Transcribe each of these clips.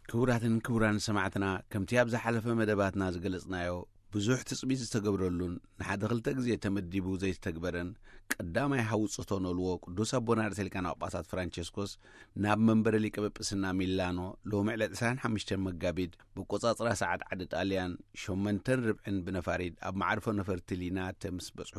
ክቡራትን ክቡራን ሰማዕትና፣ ከምቲ ኣብ ዝሓለፈ መደባትና ዝገለጽናዮ፣ ብዙሕ ትጽቢት ዝተገብረሉን ንሓደ ክልተ ግዜ ተመዲቡ ዘይተተግበረን ቀዳማይ ሃውጽቶ ነልዎ ቅዱስ ኣቦና ርእሰ ሊቃነ ጳጳሳት ፍራንቸስኮስ ናብ መንበረ ሊቀ ጳጳስና ሚላኖ ሎሚ ዕለት ዕስራን ሓሙሽተን መጋቢት ብቆጻጽራ ሰዓት ዓዲ ጣልያን ሸሞንተን ርብዕን ብነፋሪት ኣብ መዓርፎ ነፈርቲ ሊናተ ምስ በጽሑ፣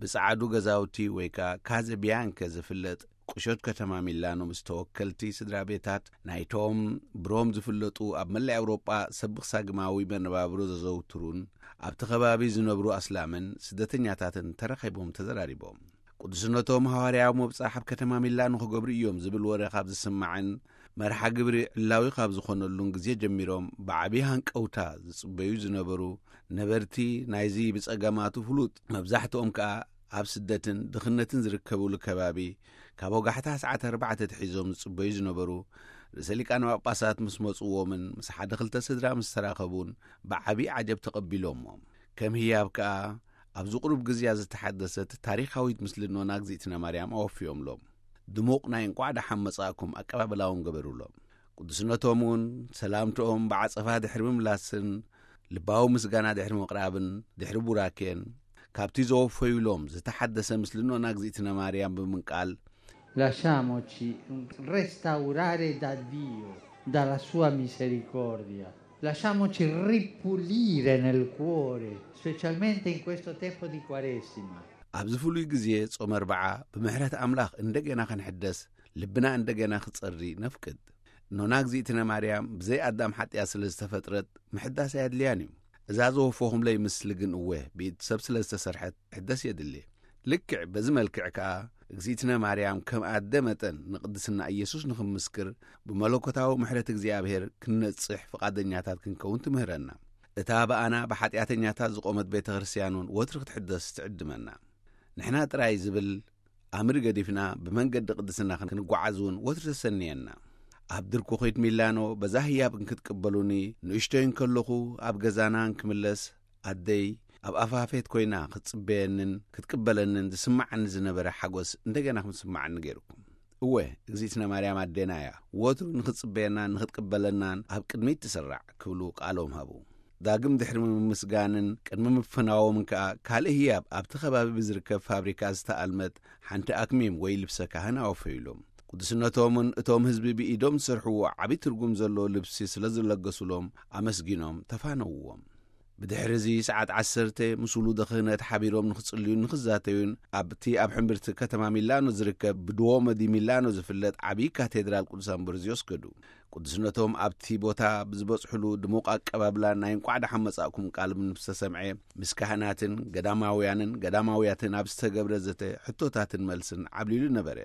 ብጸዓዱ ገዛውቲ ወይ ከኣ ካዘ ቢያንከ ዝፍለጥ ቁሸት ከተማ ሚላኖ ምስ ተወከልቲ ስድራ ቤታት ናይቶም ብሮም ዝፍለጡ ኣብ መላእ ኣውሮጳ ሰብኽ ሳግማዊ መነባብሮ ዘዘውትሩን ኣብቲ ከባቢ ዝነብሩ ኣስላምን ስደተኛታትን ተራኺቦም ተዘራሪቦም። ቅዱስነቶም ሃዋርያዊ መብጻሕ ኣብ ከተማ ሚላኖ ክገብሩ እዮም ዝብል ወረ ካብ ዝስማዕን መርሓ ግብሪ ዕላዊ ካብ ዝኾነሉን ግዜ ጀሚሮም ብዓቢ ሃንቀውታ ዝጽበዩ ዝነበሩ ነበርቲ ናይዚ ብጸገማቱ ፍሉጥ፣ መብዛሕትኦም ከኣ ኣብ ስደትን ድኽነትን ዝርከብሉ ከባቢ ካብ ወጋሕታ ሰዓት ኣርባዕተ ተሒዞም ዝጽበዩ ዝነበሩ ርእሰ ሊቃነ ጳጳሳት ምስ መጽዎምን ምስ ሓደ ክልተ ስድራ ምስ ተራኸቡን ብዓቢ ዓጀብ ተቐቢሎምዎም። ከም ህያብ ከኣ ኣብዚ ቁሩብ ግዜያ ዝተሓደሰት ታሪኻዊት ምስልኖና እግዚኣብነ ማርያም ኣወፍዮምሎም። ድሙቕ ናይ እንቋዕ ደሓን መጻእኩም ኣቀባብላ እውን ገበሩሎም። ቅዱስነቶም እውን ሰላምትኦም ብዓጸፋ ድሕሪ ምምላስን ልባዊ ምስጋና ድሕሪ ምቕራብን ድሕሪ ቡራኬን፣ ካብቲ ዘወፈዩሎም ዝተሓደሰ ምስልኖና እግዚኣብነ ማርያም ብምንቃል፣ Lasciamoci restaurare da Dio, dalla sua misericordia. Lasciamoci ripulire nel cuore, specialmente in questo tempo di Quaresima. ኣብዚ ፍሉይ ግዜ ጾመ ኣርብዓ ብምሕረት ኣምላኽ እንደገና ክንሕደስ፣ ልብና እንደገና ክጸሪ ነፍቅድ። ኖና እግዚኣብነ ማርያም ብዘይ ኣዳም ሓጢኣት ስለ ዝተፈጥረት ምሕዳስ ኣየድልያን እዩ። እዛ ዘወፈኹምለይ ምስሊ ግን እወ ብኢድ ሰብ ስለ ዝተሰርሐት ሕደስ የድሊ። ልክዕ በዚ መልክዕ ከኣ እግዚኣብነ ማርያም ከም ኣደ መጠን ንቅድስና ኢየሱስ ንኽምስክር ብመለኮታዊ ምሕረት እግዚኣብሔር ክንነጽሕ ፍቓደኛታት ክንከውን ትምህረና። እታ ብኣና ብሓጢኣተኛታት ዝቖመት ቤተ ክርስቲያን እውን ወትሪ ክትሕደስ ትዕድመና። ንሕና ጥራይ ዝብል ኣምሪ ገዲፍና ብመንገዲ ቅድስና ክንጓዓዝ እውን ወትሪ ተሰንየና። ኣብ ድርኩኺት ሚላኖ በዛ ህያብ እንክትቅበሉኒ ንእሽቶይ እንከለኹ ኣብ ገዛና እንክምለስ ኣደይ ኣብ ኣፋፌት ኮይና ክትጽበየንን ክትቅበለንን ዝስማዓኒ ዝነበረ ሓጎስ እንደገና ክምስማዓኒ ገይርኩም። እወ፣ እግዚኣብነ ማርያም ኣዴና እያ። ወትሩ ንኽትጽበየናን ንኽትቅበለናን ኣብ ቅድሚት ትስራዕ ክብሉ ቃሎም ሃቡ። ዳግም ድሕሪ ምምስጋንን ቅድሚ ምፍናዎምን ከኣ ካልእ ህያብ ኣብቲ ከባቢ ብዝርከብ ፋብሪካ ዝተኣልመት ሓንቲ ኣክሚም ወይ ልብሰ ካህን ኣወፈዩሎም። ቅዱስነቶምን እቶም ህዝቢ ብኢዶም ዝሰርሕዎ ዓቢ ትርጉም ዘለዎ ልብሲ ስለ ዝለገሱሎም ኣመስጊኖም ተፋነውዎም። ብድሕሪ እዚ ሰዓት ዓሰርተ ምስ ውሉደ ክህነት ሓቢሮም ንኽጽልዩን ንኽዛተዩን ኣብቲ ኣብ ሕምብርቲ ከተማ ሚላኖ ዝርከብ ብድዎሞ ዲ ሚላኖ ዝፍለጥ ዓቢ ካቴድራል ቅዱስ ኣምብሮዝዮስ ከዱ። ቅዱስነቶም ኣብቲ ቦታ ብዝበጽሕሉ ድሙቕ ኣቀባብላ ናይ እንቋዕ ደሓን መጻእኩም ቃል ምስ ተሰምዐ ምስ ካህናትን ገዳማውያንን ገዳማውያትን ኣብ ዝተገብረ ዘተ ሕቶታትን መልስን ዓብሊሉ ነበረ።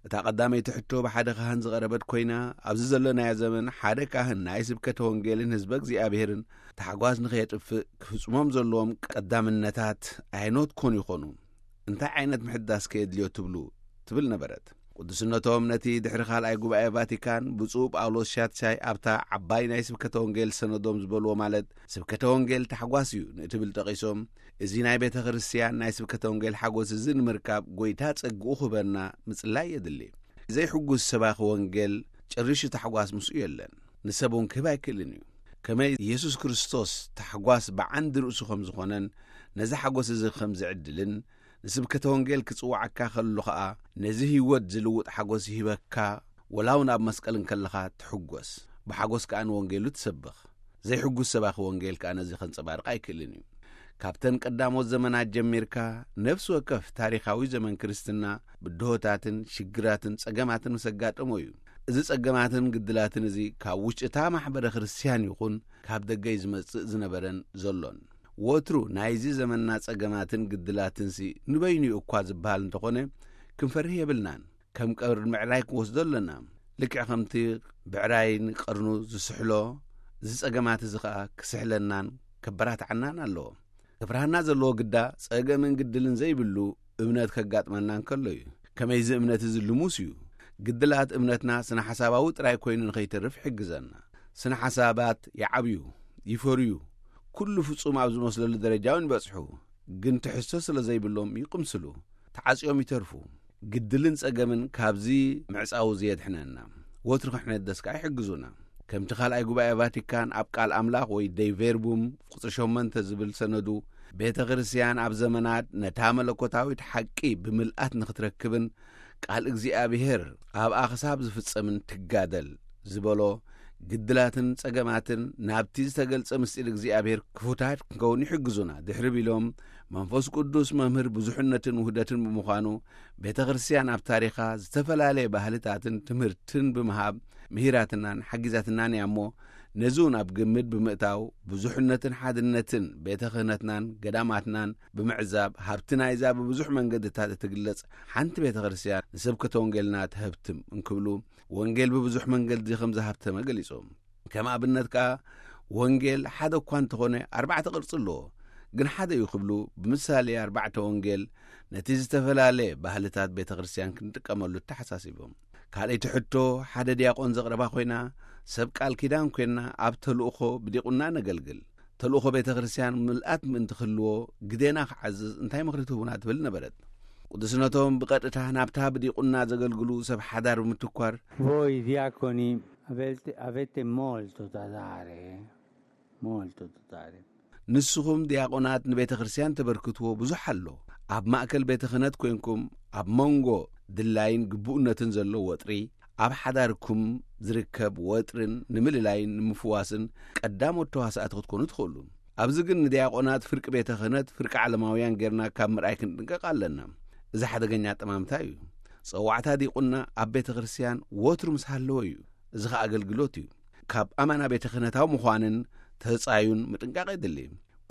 እታ ቀዳመይቲ ሕቶ ብሓደ ካህን ዝቐረበት ኮይና፣ ኣብዚ ዘለናዮ ዘመን ሓደ ካህን ናይ ስብከተ ወንጌልን ህዝበ እግዚኣብሔርን ታሕጓስ ንኸየጥፍእ ክፍጽሞም ዘለዎም ቀዳምነታት ኣየኖት ኮን ይኾኑ? እንታይ ዓይነት ምሕዳስ ከየድልዮ ትብሉ? ትብል ነበረት። ቅዱስነቶም ነቲ ድሕሪ ካልኣይ ጉባኤ ቫቲካን ብፁዕ ጳውሎስ ሻትሻይ ኣብታ ዓባይ ናይ ስብከተ ወንጌል ሰነዶም ዝበልዎ ማለት ስብከተ ወንጌል ታሕጓስ እዩ ንእትብል ጠቒሶም፣ እዚ ናይ ቤተ ክርስቲያን ናይ ስብከተ ወንጌል ሓጎስ እዚ ንምርካብ ጎይታ ጸግኡ ክህበና ምጽላይ የድሊ። ዘይሕጉስ ሰባኺ ወንጌል ጨሪሹ ታሕጓስ ምስኡ የለን፣ ንሰብ እውን ክህብ ኣይክእልን እዩ። ከመይ ኢየሱስ ክርስቶስ ታሕጓስ ብዓንዲ ርእሱ ከም ዝኾነን ነዚ ሓጎስ እዚ ከም ዝዕድልን ንስብከተ ወንጌል ክጽውዓካ ከሎ ኸኣ ነዚ ህይወት ዝልውጥ ሓጎስ ይህበካ፣ ወላ እውን ኣብ መስቀል እንከለኻ ትሕጎስ፣ ብሓጎስ ከኣ ንወንጌሉ ትሰብኽ። ዘይሕጉስ ሰባኺ ወንጌል ከኣ ነዚ ከንጸባርቕ ኣይክእልን እዩ። ካብተን ቀዳሞት ዘመናት ጀሚርካ ነፍሲ ወከፍ ታሪኻዊ ዘመን ክርስትና ብድሆታትን ሽግራትን ጸገማትን ምስ ኣጋጠሞ እዩ። እዚ ጸገማትን ግድላትን እዚ ካብ ውሽጢ እታ ማሕበረ ክርስትያን ይኹን ካብ ደገ እዩ ዝመጽእ ዝነበረን ዘሎን። ወትሩ ናይዚ ዘመንና ጸገማትን ግድላትንሲ ንበይኑ እዩ እኳ ዝበሃል እንተኾነ ክንፈርህ የብልናን። ከም ቀርኒ ብዕራይ ክንወስዶ ኣለና። ልክዕ ከምቲ ብዕራይ ንቀርኑ ዝስሕሎ፣ እዚ ጸገማት እዚ ኸኣ ክስሕለናን ከበራትዓናን ኣለዎ። ክፍርሃና ዘለዎ ግዳ ጸገምን ግድልን ዘይብሉ እምነት ከጋጥመና እንከሎ እዩ። ከመይዚ እምነት እዚ ልሙስ እዩ። ግድላት እምነትና ስነ ሓሳባዊ ጥራይ ኮይኑ ንኸይተርፍ ይሕግዘና። ስነ ሓሳባት ይዓብዩ፣ ይፈርዩ፣ ኩሉ ፍጹም ኣብ ዝመስለሉ ደረጃ እውን ይበጽሑ። ግን ትሕዝቶ ስለ ዘይብሎም ይቕምስሉ፣ ተዓጽዮም ይተርፉ። ግድልን ጸገምን ካብዚ ምዕጻው እዚ የድሕነና። ወትሩ ክንሕደስ ከኣ ይሕግዙና። ከምቲ ካልኣይ ጉባኤ ቫቲካን ኣብ ቃል ኣምላኽ ወይ ደይ ቬርቡም ቁጽሪ ሸሞንተ ዝብል ሰነዱ፣ ቤተ ክርስቲያን ኣብ ዘመናት ነታ መለኮታዊት ሓቂ ብምልኣት ንኽትረክብን ቃል እግዚኣብሔር ኣብኣ ክሳብ ዝፍጸምን ትጋደል ዝበሎ፣ ግድላትን ጸገማትን ናብቲ ዝተገልጸ ምስጢር እግዚኣብሔር ክፉታት ክንከውን ይሕግዙና ድሕሪ ቢሎም፣ መንፈስ ቅዱስ መምህር ብዙሕነትን ውህደትን ብምዃኑ፣ ቤተ ክርስቲያን ኣብ ታሪኻ ዝተፈላለየ ባህልታትን ትምህርትን ብምሃብ ምሂራትናን ሓጊዛትናን እያ እሞ፣ ነዚ እውን ኣብ ግምት ብምእታው ብዙሕነትን ሓድነትን ቤተ ክህነትናን ገዳማትናን ብምዕዛብ፣ ሃብቲ ናይዛ ብብዙሕ መንገድታት እትግለጽ ሓንቲ ቤተ ክርስቲያን ንስብከተ ወንጌልና ትሀብትም እንክብሉ፣ ወንጌል ብብዙሕ መንገዲ ከም ዝሃብተመ ገሊጾም። ከም ኣብነት ከኣ፣ ወንጌል ሓደ እኳ እንተኾነ ኣርባዕተ ቅርጺ ኣለዎ። ግን ሓደ እዩ ክብሉ ብምሳሌ ኣርባዕተ ወንጌል ነቲ ዝተፈላለየ ባህልታት ቤተ ክርስቲያን ክንጥቀመሉ ተሓሳሲቦም። ካልኣይቲ ሕቶ ሓደ ዲያቆን ዘቕረባ ኮይና፣ ሰብ ቃል ኪዳን ኮይና ኣብ ተልእኾ ብዲቁና ነገልግል። ተልእኾ ቤተ ክርስቲያን ምልኣት ምእንቲ ክህልዎ ግዴና ክዓዝዝ እንታይ ምኽሪ ትህቡና ትብል ነበረት። ቅዱስነቶም ብቐጥታ ናብታ ብዲቁና ዘገልግሉ ሰብ ሓዳር ብምትኳር፣ Voi diaconi avete, avete molto da dare, eh? Molto da dare. ንስኹም ዲያቆናት ንቤተ ክርስቲያን ተበርክትዎ ብዙሕ ኣሎ። ኣብ ማእከል ቤተ ክህነት ኮይንኩም ኣብ መንጎ ድላይን ግቡእነትን ዘሎ ወጥሪ፣ ኣብ ሓዳርኩም ዝርከብ ወጥርን ንምልላይን ንምፍዋስን ቀዳሞት ተዋሳእቲ ክትኮኑ ትኽእሉ። ኣብዚ ግን ንዲያቆናት ፍርቂ ቤተ ክህነት ፍርቂ ዓለማውያን ጌርና ካብ ምርኣይ ክንጥንቀቕ ኣለና። እዚ ሓደገኛ ኣጠማምታ እዩ። ጸዋዕታ ዲቁና ኣብ ቤተ ክርስቲያን ወትሩ ምስ ሃለወ እዩ። እዚ ኸኣ ኣገልግሎት እዩ። ካብ ኣማና ቤተ ክህነታዊ ምዃንን ተጻዩን ምጥንቃቕ የድሊ።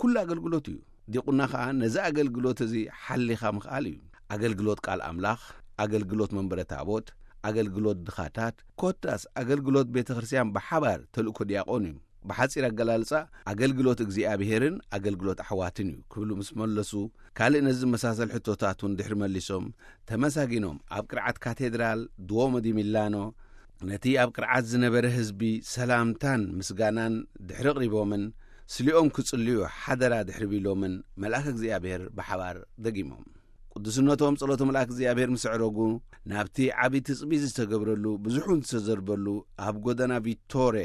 ኩሉ ኣገልግሎት እዩ። ዲቁና ኸኣ ነዚ ኣገልግሎት እዚ ሓሊኻ ምኽኣል እዩ። ኣገልግሎት ቃል ኣምላኽ፣ ኣገልግሎት መንበረ ታቦት፣ ኣገልግሎት ድኻታት፣ ኮታስ ኣገልግሎት ቤተ ክርስቲያን ብሓባር ተልእኮ ዲያቆን እዩ። ብሓጺር ኣገላልጻ፣ ኣገልግሎት እግዚኣብሄርን ኣገልግሎት ኣሕዋትን እዩ ክብሉ ምስ መለሱ፣ ካልእ ነዚ ዝመሳሰል ሕቶታት እውን ድሕሪ መሊሶም ተመሳጊኖም፣ ኣብ ቅርዓት ካቴድራል ዱኦሞ ዲ ሚላኖ ነቲ ኣብ ቅርዓት ዝነበረ ህዝቢ ሰላምታን ምስጋናን ድሕሪ ኣቕሪቦምን፣ ስሊኦም ክጽልዩ ሓደራ ድሕሪ ቢሎምን፣ መልኣክ እግዚኣብሔር ብሓባር ደጊሞም። ቅዱስነቶም ጸሎተ መልኣክ እግዚኣብሔር ምስ ኣዕረጉ፣ ናብቲ ዓቢ ትጽቢት ዝተገብረሉ ብዙሕ እውን ዝተዘርበሉ ኣብ ጎደና ቪቶሬ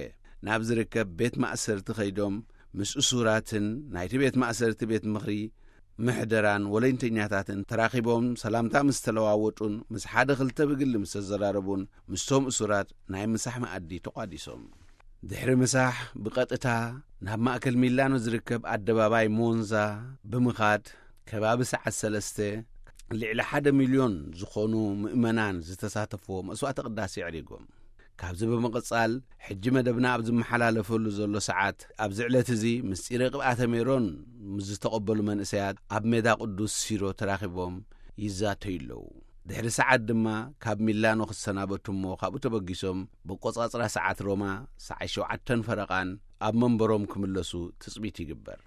ናብ ዝርከብ ቤት ማእሰርቲ ከይዶም፣ ምስ እሱራትን ናይቲ ቤት ማእሰርቲ ቤት ምኽሪ ምሕደራን ወለንተኛታትን ተራኺቦም ሰላምታ ምስ ተለዋወጡን ምስ ሓደ ክልተ ብግሊ ምስ ተዘራረቡን ምስቶም እሱራት ናይ ምሳሕ መኣዲ ተቋዲሶም። ድሕሪ ምሳሕ ብቐጥታ ናብ ማእከል ሚላኖ ዝርከብ ኣደባባይ ሞንዛ ብምኻድ፣ ከባቢ ሰዓት ሰለስተ ልዕሊ ሓደ ሚልዮን ዝኾኑ ምእመናን ዝተሳተፍዎ መስዋዕተ ቅዳሴ ኣዕሪጎም። ካብዚ ብምቕጻል፣ ሕጂ መደብና ኣብ ዝመሓላለፈሉ ዘሎ ሰዓት፣ ኣብዚ ዕለት እዚ ምስጢረ ቅብኣተ ሜሮን ምስ ዝተቐበሉ መንእሰያት ኣብ ሜዳ ቅዱስ ሲሮ ተራኺቦም ይዛተዩ ኣለዉ። ድሕሪ ሰዓት ድማ ካብ ሚላኖ ክሰናበቱ እሞ ካብኡ ተበጊሶም ብቆጻጽራ ሰዓት ሮማ ሰዓት ሸውዓተን ፈረቓን ኣብ መንበሮም ክምለሱ ትጽቢት ይግበር።